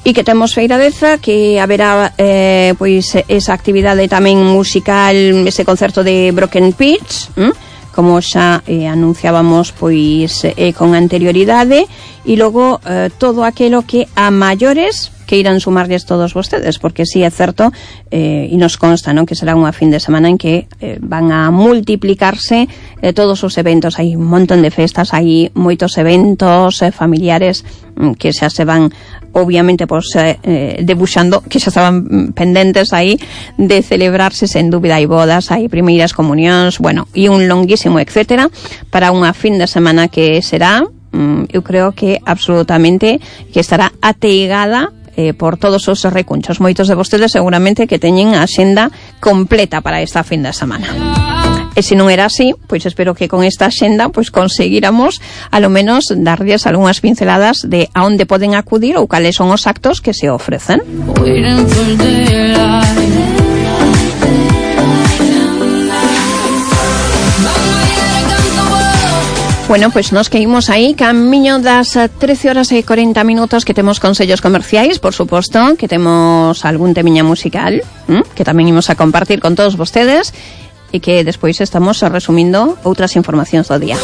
E que temos Feiradeza, que haberá eh, pois esa actividade tamén musical, ese concerto de Broken Pitch, ¿m? como xa eh, anunciábamos pois eh, con anterioridade, e logo eh, todo aquilo que a maiores que irán sumarles todos vostedes, porque sí é certo, eh, e nos consta, ¿no?, que será unha fin de semana en que eh, van a multiplicarse eh, todos os eventos. Hai un montón de festas, hai moitos eventos eh, familiares mm, que xa se van obviamente pues, eh, eh, debuxando, que xa estaban pendentes aí de celebrarse, sen dúbida. Hai bodas, hai primeiras comunións, bueno, e un longuísimo etcétera para unha fin de semana que será, mm, eu creo que absolutamente que estará ateigada Eh, por todos os recunchos. Moitos de vostedes seguramente que teñen a axenda completa para esta fin de semana. E se non era así, pois espero que con esta axenda pois conseguíramos a lo menos darlles algunhas pinceladas de a onde poden acudir ou cales son os actos que se ofrecen. Bueno, pois pues nos que imos aí camiño das trece horas e cuarenta minutos, que temos consellos comerciais, por suposto, que temos algún temiña musical, ¿m? que tamén imos a compartir con todos vostedes, e que despois estamos resumindo outras informacións do día.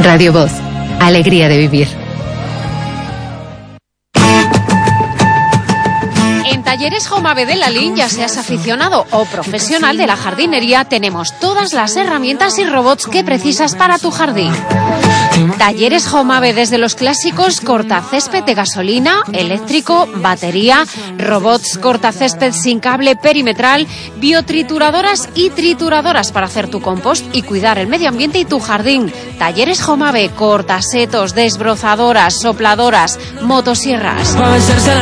Radio Voz, alegría de vivir. Talleres Jomave de Lalín, ya seas aficionado o profesional de la jardinería, tenemos todas las herramientas y robots que precisas para tu jardín. Talleres Jomave, desde los clásicos cortacésped de gasolina, eléctrico, batería, robots cortacésped sin cable perimetral, biotrituradoras y trituradoras para hacer tu compost y cuidar el medio ambiente y tu jardín. Talleres Jomave, cortasetos, desbrozadoras, sopladoras, motosierras.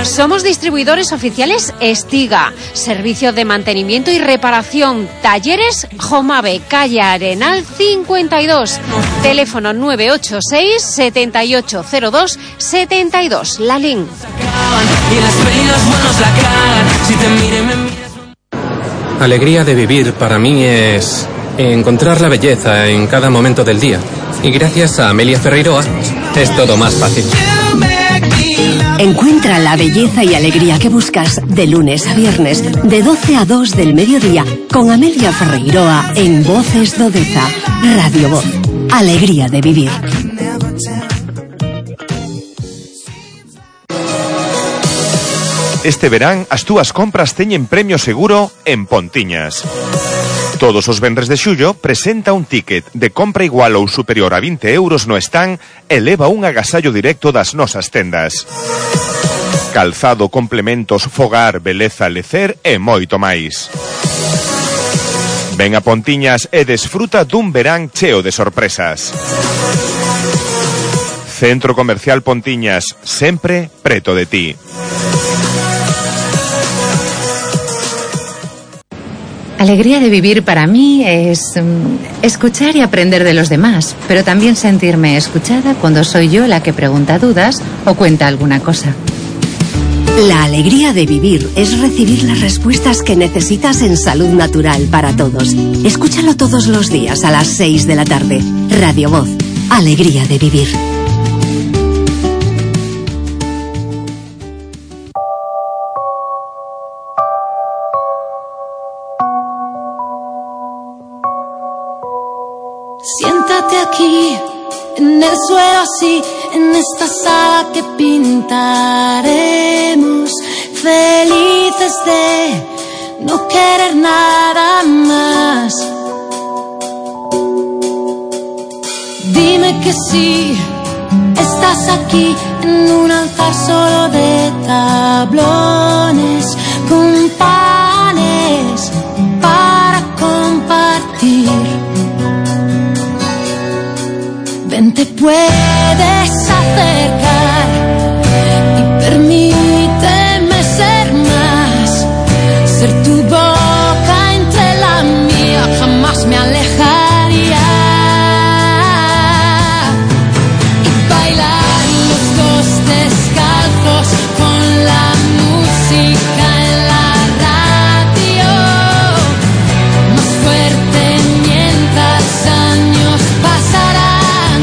Somos distribuidores oficiales Estiga, servicio de mantenimiento y reparación. Talleres Jomave, calle Arenal cincuenta y dos, teléfono nueve ocho seis, siete ocho cero dos, siete dos. Lalín. Alegría de vivir para mí es encontrar la belleza en cada momento del día. Y gracias a Amelia Ferreiroa es todo más fácil. Encuentra la belleza y alegría que buscas de lunes a viernes, de doce a dos del mediodía, con Amelia Ferreiroa en Voces do Deza. Radio Voz. Alegría de vivir. Este verán as túas compras teñen premio seguro en Pontiñas. Todos os venres de xullo presenta un ticket de compra igual ou superior a vinte euros no stand e leva un agasallo directo das nosas tendas. Calzado, complementos, fogar, beleza, lecer e moito máis. Ven a Pontiñas e desfruta dun verán cheo de sorpresas. Centro Comercial Pontiñas, sempre preto de ti. Alegría de vivir para mí es um, escuchar y aprender de los demás, pero también sentirme escuchada cuando soy yo la que pregunta dudas o cuenta alguna cosa. La alegría de vivir es recibir las respuestas que necesitas en Salud Natural para Todos. Escúchalo todos los días a las seis de la tarde. Radio Voz. Alegría de vivir. Siéntate aquí, en el suelo así, en esta sala que pintaremos, felices de no querer nada más. Dime que sí, estás aquí en un altar solo de tablones, con panes para compartir. Ven, te puedes acercar y permíteme ser más, ser tu boca entre la mía, jamás me alejaría. Y bailar los dos descalzos con la música en la radio, más fuerte mientras años pasarán.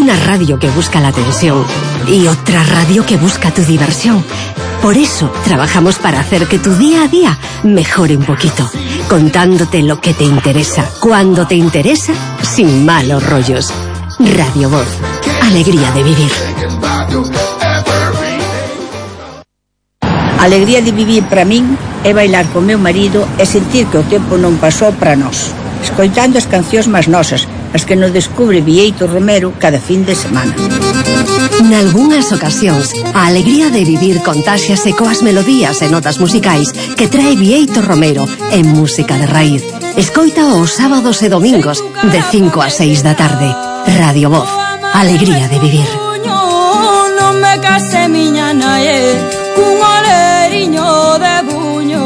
una radio que busca la atención y otra radio que busca tu diversión. Por eso trabajamos para hacer que tu día a día mejore un poquito, contándote lo que te interesa, cuando te interesa, sin malos rollos. Radio Voz, alegría de vivir. A alegría de vivir para min é bailar con meu marido e sentir que o tempo non pasou para nós, escoitando as cancións máis nosas, as que nos descubre Bieito Romero cada fin de semana. Nalgúnas ocasións, a alegría de vivir contáxiase coas melodías e notas musicais que trae Bieito Romero en música de raíz. Escoita os sábados e domingos de cinco a seis da tarde. Radio Voz, alegría de vivir. Non me case miña nae cun oleriño de buño.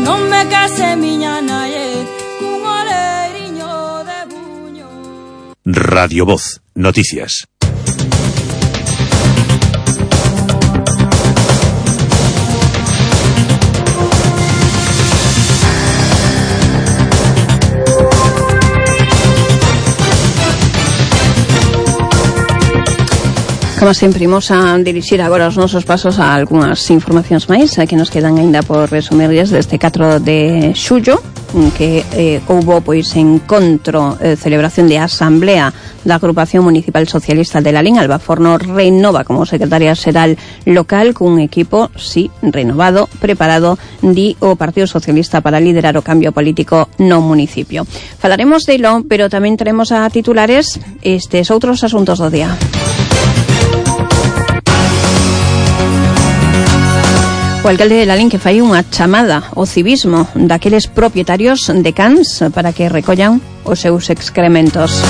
Non me case miña nae cun oleriño de buño. Radio Voz, noticias. Como sempre, imos a dirixir agora os nosos pasos a algunhas informacións máis que nos quedan aínda por resumirlles deste catro de xullo, que eh, houbo pois encontro, eh, celebración de asamblea da Agrupación Municipal Socialista de Lalín. Alba Forno renova como secretaria xeral local cun equipo, sí, renovado, preparado, di o Partido Socialista para liderar o cambio político no municipio. Falaremos delo, pero tamén traemos a titulares estes outros asuntos do día. O alcalde de Lalín que fai unha chamada ao civismo daqueles propietarios de cans para que recollan os seus excrementos.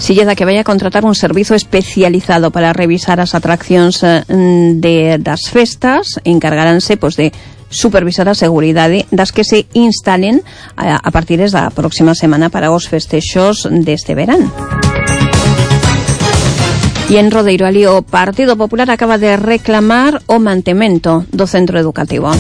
Silleda que vai a contratar un servizo especializado para revisar as atraccións de, das festas, encargaránse pois, de supervisar a seguridade das que se instalen a, a partir da próxima semana para os festexos deste verán. E en Rodeiro ali o Partido Popular acaba de reclamar o mantemento do centro educativo.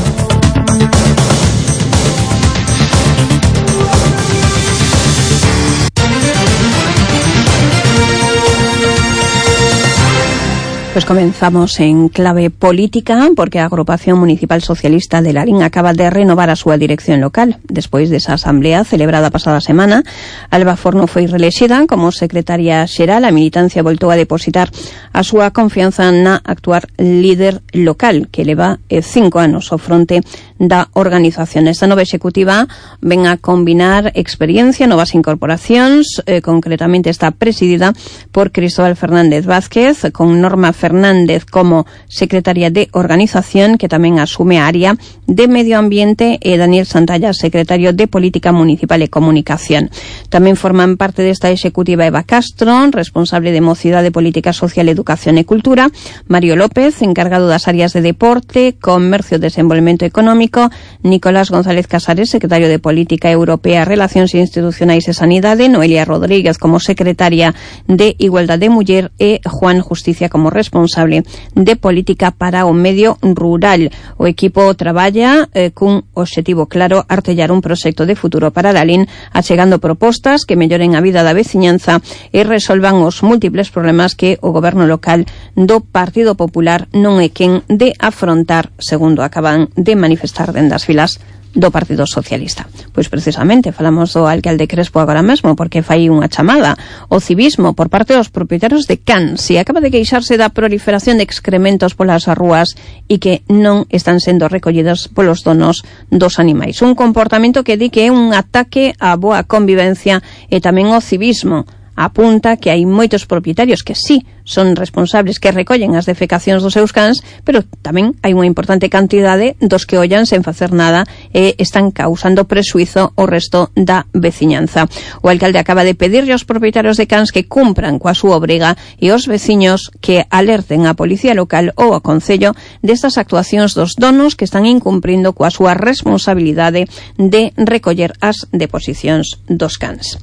Pues comenzamos en clave política porque a Agrupación Municipal Socialista de Lalín acaba de renovar a súa dirección local. Despois desa asamblea celebrada a pasada semana, Alba Forno foi relexida como secretaria xeral. A militancia voltou a depositar a súa confianza na actuar líder local, que leva cinco anos ao fronte da organización. Esta nova executiva ven a combinar experiencia, novas incorporacións, eh, concretamente está presidida por Cristóbal Fernández Vázquez, con Norma Fernández como secretaria de organización, que tamén asume a área de medio ambiente, e Daniel Santalla, secretario de Política Municipal e Comunicación. Tamén forman parte desta executiva Eva Castro, responsable de Mocidade, Política Social, Educación e Cultura, Mario López, encargado das áreas de Deporte, Comercio e Desenvolvemento Económico, Nicolás González Casares, secretario de Política Europea, Relacións Institucionais e Sanidade, Noelia Rodríguez como secretaria de Igualdade de Muller e Juan Justicia como responsable de Política para o Medio Rural. O equipo traballa eh, cun obxectivo claro: artellar un proxecto de futuro para Lalín, achegando propostas que melloren a vida da veciñanza e resolvan os múltiples problemas que o goberno local do Partido Popular non é quen de afrontar, segundo acaban de manifestar dende as filas do Partido Socialista. Pois precisamente falamos do alcalde Crespo agora mesmo, porque fai unha chamada ao civismo por parte dos propietarios de cans e acaba de queixarse da proliferación de excrementos polas rúas e que non están sendo recollidos polos donos dos animais. Un comportamento que di que é un ataque á boa convivencia e tamén ao civismo. Apunta que hai moitos propietarios que sí son responsables, que recollen as defecacións dos seus cans, pero tamén hai unha importante cantidade dos que ollan sen facer nada e están causando presuizo ao resto da veciñanza. O alcalde acaba de pedirlle aos propietarios de cans que cumpran coa súa obriga e aos veciños que alerten á policía local ou ao concello destas actuacións dos donos que están incumprindo coa súa responsabilidade de recoller as deposicións dos cans.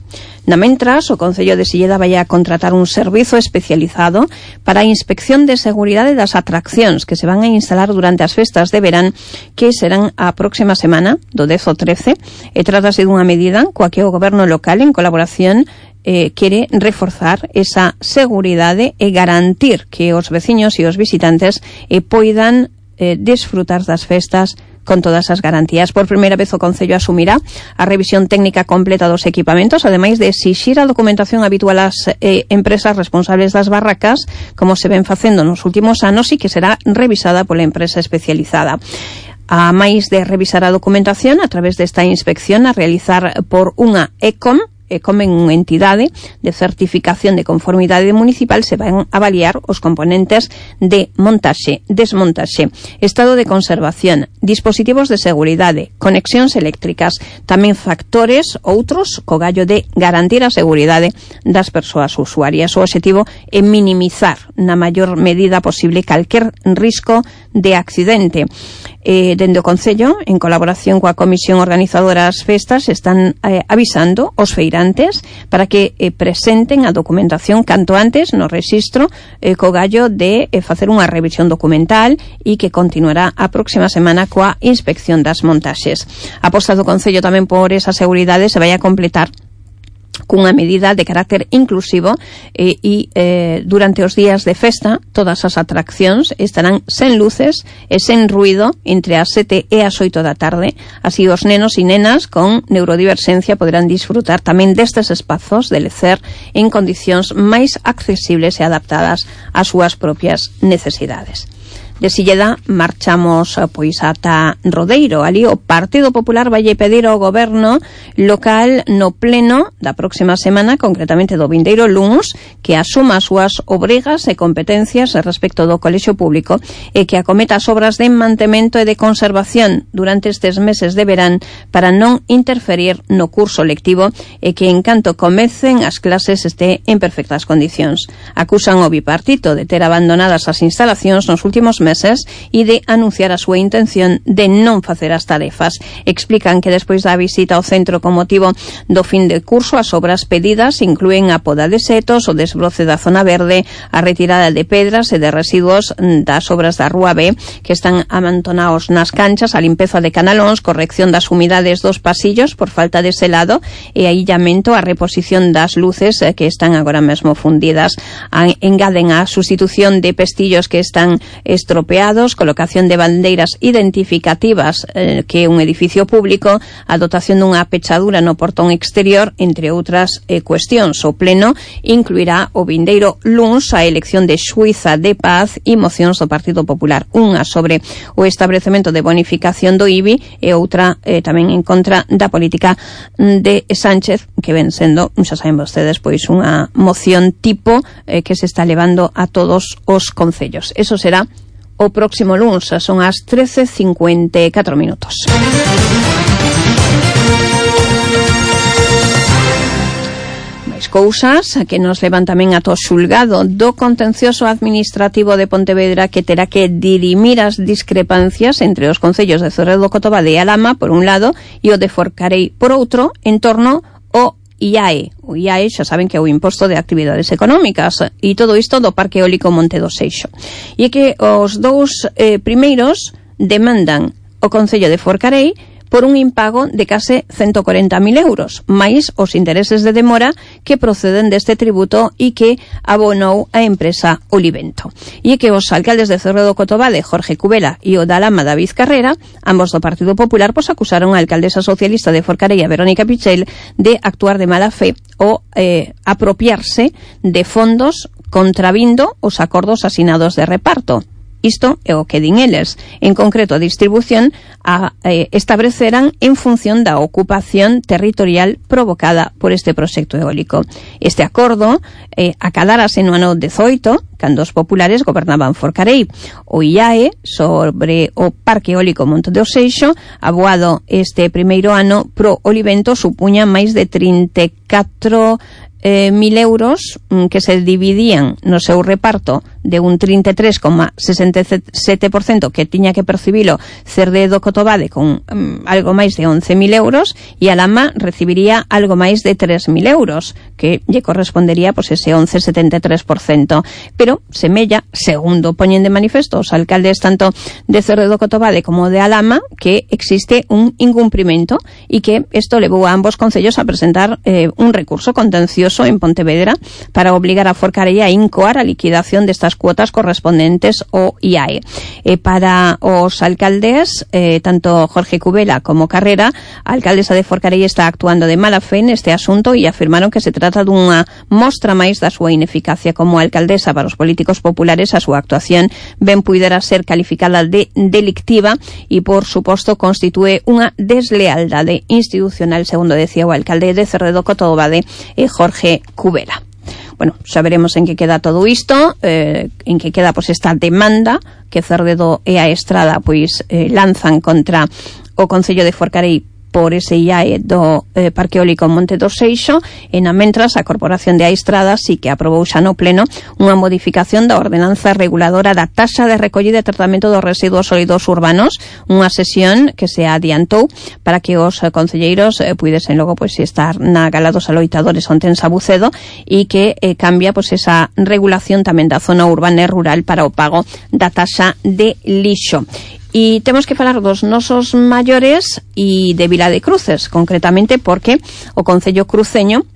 Na mentras, o Concello de Silleda vai a contratar un servizo especializado para a inspección de seguridade das atraccións que se van a instalar durante as festas de verán, que serán a próxima semana, do dez ao trece, e trátase dunha medida coa que o goberno local, en colaboración eh, quere reforzar esa seguridade e garantir que os veciños e os visitantes eh, poidan eh, desfrutar das festas con todas as garantías. Por primeira vez o Concello asumirá a revisión técnica completa dos equipamentos, ademais de exixir a documentación habitual ás eh, empresas responsables das barracas, como se ven facendo nos últimos anos, e que será revisada pola empresa especializada. A máis de revisar a documentación a través desta inspección a realizar por unha ECOM, e como en unha entidade de certificación de conformidade municipal, se van a avaliar os componentes de montaxe, desmontaxe, estado de conservación, dispositivos de seguridade, conexións eléctricas, tamén factores outros co gallo de garantir a seguridade das persoas usuarias. O obxectivo é minimizar na maior medida posible calquer risco de accidente. Eh, dende o Concello, en colaboración coa Comisión Organizadora das Festas, están eh, avisando os feirantes para que eh, presenten a documentación canto antes no rexistro eh, co gallo de eh, facer unha revisión documental e que continuará a próxima semana coa inspección das montaxes. A aposta do Concello tamén por esa seguridade se vai a completar cunha medida de carácter inclusivo e, e eh, durante os días de festa todas as atraccións estarán sen luces e sen ruido entre as sete e as oito da tarde. Así os nenos e nenas con neurodiversencia poderán disfrutar tamén destes espazos de lecer en condicións máis accesibles e adaptadas ás súas propias necesidades. De Silleda marchamos pois ata Rodeiro. Ali o Partido Popular vai pedir ao goberno local no pleno da próxima semana, concretamente do vindeiro luns, que asuma as súas obrigas e competencias respecto do colexio público e que acometa as obras de mantemento e de conservación durante estes meses de verán para non interferir no curso lectivo e que en canto comecen as clases este en perfectas condicións. Acusan o bipartito de ter abandonadas as instalacións nos últimos meses meses e de anunciar a súa intención de non facer as tarefas. Explican que despois da visita ao centro con motivo do fin de curso, as obras pedidas inclúen a poda de setos, o desbroce da zona verde, a retirada de pedras e de residuos das obras da Rúa B que están amontonados nas canchas, a limpeza de canalóns, corrección das humidades dos pasillos por falta de selado e a illamento, a reposición das luces que están agora mesmo fundidas. Engaden a sustitución de pestillos que están estropeados, colocación de bandeiras identificativas eh, que é un edificio público, a dotación dunha pechadura no portón exterior, entre outras eh, cuestións. O pleno incluirá o vindeiro luns a elección de xuíza de paz e mocións do Partido Popular, unha sobre o establecemento de bonificación do I B I e outra eh, tamén en contra da política de Sánchez, que ven sendo, xa saben vostedes, pois unha moción tipo eh, que se está levando a todos os concellos. Eso será o próximo luns, son as trece cincuenta e catro minutos. Máis cousas que nos levan tamén ata o xulgado do contencioso administrativo de Pontevedra, que terá que dirimir as discrepancias entre os concellos de Zorredo, Cotobade e Alhama por un lado e o de Forcarei por outro, en torno ao I A E. O I A E xa saben que é o Imposto de Actividades Económicas, e todo isto do Parque Eólico Monte do Seixo. E é que os dous eh, primeiros demandan o Concello de Forcarei por un impago de case ciento cuarenta mil euros, máis os intereses de demora que proceden deste tributo e que abonou a empresa Olivento. E é que os alcaldes de Zorredo, Cotobade, Jorge Cubela, e o da Alhama, David Carrera, ambos do Partido Popular, pois acusaron a alcaldesa socialista de Forcarei, a Verónica Pichel, de actuar de mala fe ou eh, apropiarse de fondos contravindo os acordos asinados de reparto. Isto é o que din eles. En concreto, a distribución a eh, estableceran en función da ocupación territorial provocada por este proxecto eólico. Este acordo eh, acadárase no ano dezoito, cando os populares gobernaban Forcarei. O I A E sobre o Parque Eólico Monte do Seixo, aboado este primeiro ano pro Olivento, supuña máis de trinta e catro Eh, mil euros mm, que se dividían no seu reparto de un trinta e tres coma sesenta e sete por cento que tiña que percibilo Cerredo, Cotobade con mm, algo máis de once mil euros, e Alhama recibiría algo máis de tres mil euros, que lle correspondería pois ese once coma setenta e tres por cento. Pero pero semella, segundo poñen de manifesto os alcaldes tanto de Cerredo Cotobade como de Alhama, que existe un incumprimento e que isto levou a ambos concellos a presentar eh, un recurso contencioso en Pontevedra para obligar a Forcarei a incoar a liquidación destas cuotas correspondentes ao I A E. E para os alcaldes, eh, tanto Jorge Cubela como Carrera, a alcaldesa de Forcarei está actuando de mala fe neste asunto e afirmaron que se trata dunha mostra máis da súa ineficacia como alcaldesa. Para os políticos populares, a súa actuación ben puidera ser calificada de delictiva e, por suposto, constitúe unha deslealdade institucional, segundo decía o alcalde de Cerredo Cotobade, eh, Jorge Cubela. Bueno, xa veremos en que queda todo isto, eh, en que queda pois esta demanda que Cerredo e a Estrada pois eh, lanzan contra o Concello de Forcarei por ese I A E do eh, Parque Eólico Monte do Seixo, e na mentras a Corporación de Aistrada sí que aprobou xa no pleno unha modificación da ordenanza reguladora da taxa de recollida e tratamento dos residuos sólidos urbanos, unha sesión que se adiantou para que os eh, concelleiros eh, puidesen logo pois estar na gala dos aloitadores onte en Sabucedo, e que eh, cambia pois esa regulación tamén da zona urbana e rural para o pago da taxa de lixo. E temos que falar dos nosos maiores e de Vila de Cruces, concretamente porque o Concello cruceño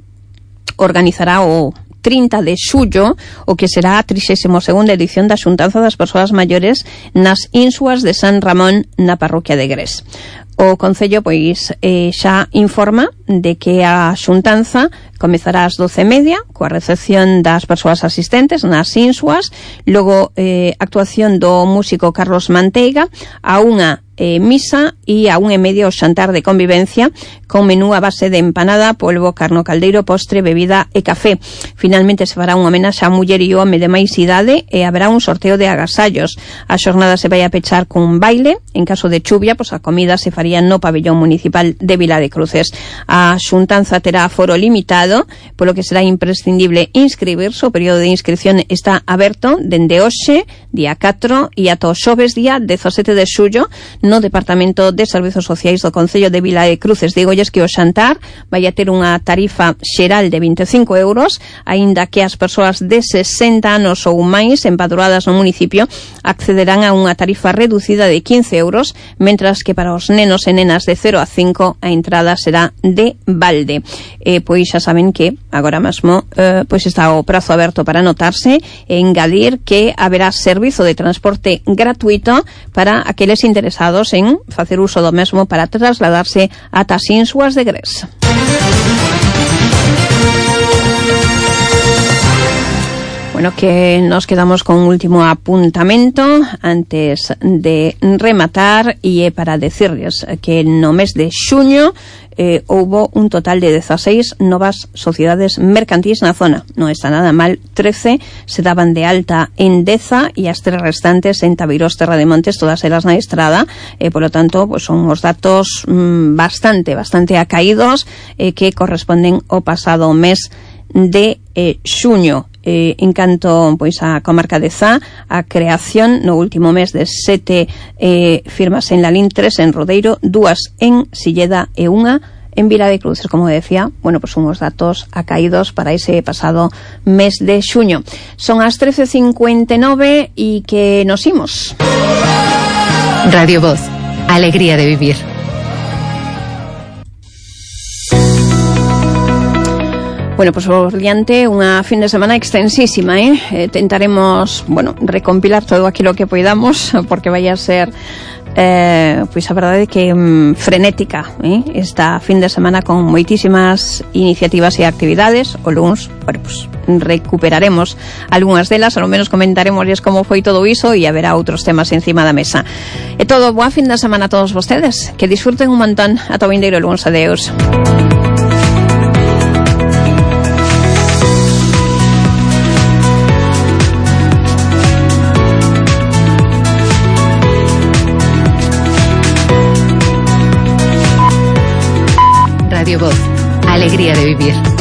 organizará o trinta de xullo o que será a trixésima segunda edición da xuntanza das persoas maiores nas Insuas de San Ramón na parroquia de Gres. O Concello pois eh, xa informa de que a xuntanza comezará ás doce e media coa recepción das persoas asistentes nas Insuas, logo eh, actuación do músico Carlos Manteiga, a unha eh, misa e a unha e media o xantar de convivencia con menú a base de empanada, polvo, carno caldeiro, postre, bebida e café. Finalmente se fará unha homenaxe a muller e home de máis idade e haberá un sorteo de agasallos. A xornada se vai a pechar cun baile. En caso de chuvia, pois a comida se faría no pabellón municipal de Vila de Cruces. A xuntanza terá aforo limitado, polo que será imprescindible inscribirse. O período de inscripción está aberto dende hoxe, día catro, e ata o xoves, día dezasete de xullo, no Departamento de Servizos Sociais do Concello de Vila de Cruces. Dígolles que o xantar vai a ter unha tarifa xeral de vinte e cinco euros, aínda que as persoas de sesenta anos ou máis empadroadas no municipio accederán a unha tarifa reducida de quince euros, mentras que para os nenos e nenas de cero a cinco a entrada será de balde. E pois xa saben que agora mesmo eh, pois está o prazo aberto para anotarse, e engadir que haberá servizo de transporte gratuito para aqueles interesados en facer uso do mesmo para trasladarse ata as Insuas de Gres. Bueno, que nos quedamos con un último apuntamento antes de rematar, e é para decirles que no mes de xuño eh, houbo un total de dezaseis novas sociedades mercantís na zona. Non está nada mal, trece se daban de alta en Deza e as tres restantes en Tabeiros, Terra de Montes, todas elas na Estrada. E, polo tanto, pues son os datos mm, bastante, bastante acaídos eh, que corresponden ao pasado mes de eh, xuño. Eh, en canto pois a comarca de Zá, a creación no último mes de sete eh, firmas en Lalín, tres en Rodeiro, dúas en Silleda e unha en Vila de Cruces. Como decía, bueno, pues unhos datos acaídos para ese pasado mes de xuño. Son as trece cincuenta e nove e que nos imos. Radio Voz, alegría de vivir. Bueno, pues por diante unha fin de semana extensísima, eh? eh tentaremos, bueno, recompilar todo aquilo que podamos, porque vai a ser eh, pois a verdade que mm, frenética, eh? esta fin de semana con moitísimas iniciativas e actividades. O luns, bueno, pues recuperaremos algunhas delas, ao menos comentaremosles como foi todo iso, e haberá outros temas encima da mesa. E todo, boa fin de semana a todos vostedes, que disfruten un montón. Ata o vindeiro luns, adeus. Radio Voz, alegría de vivir.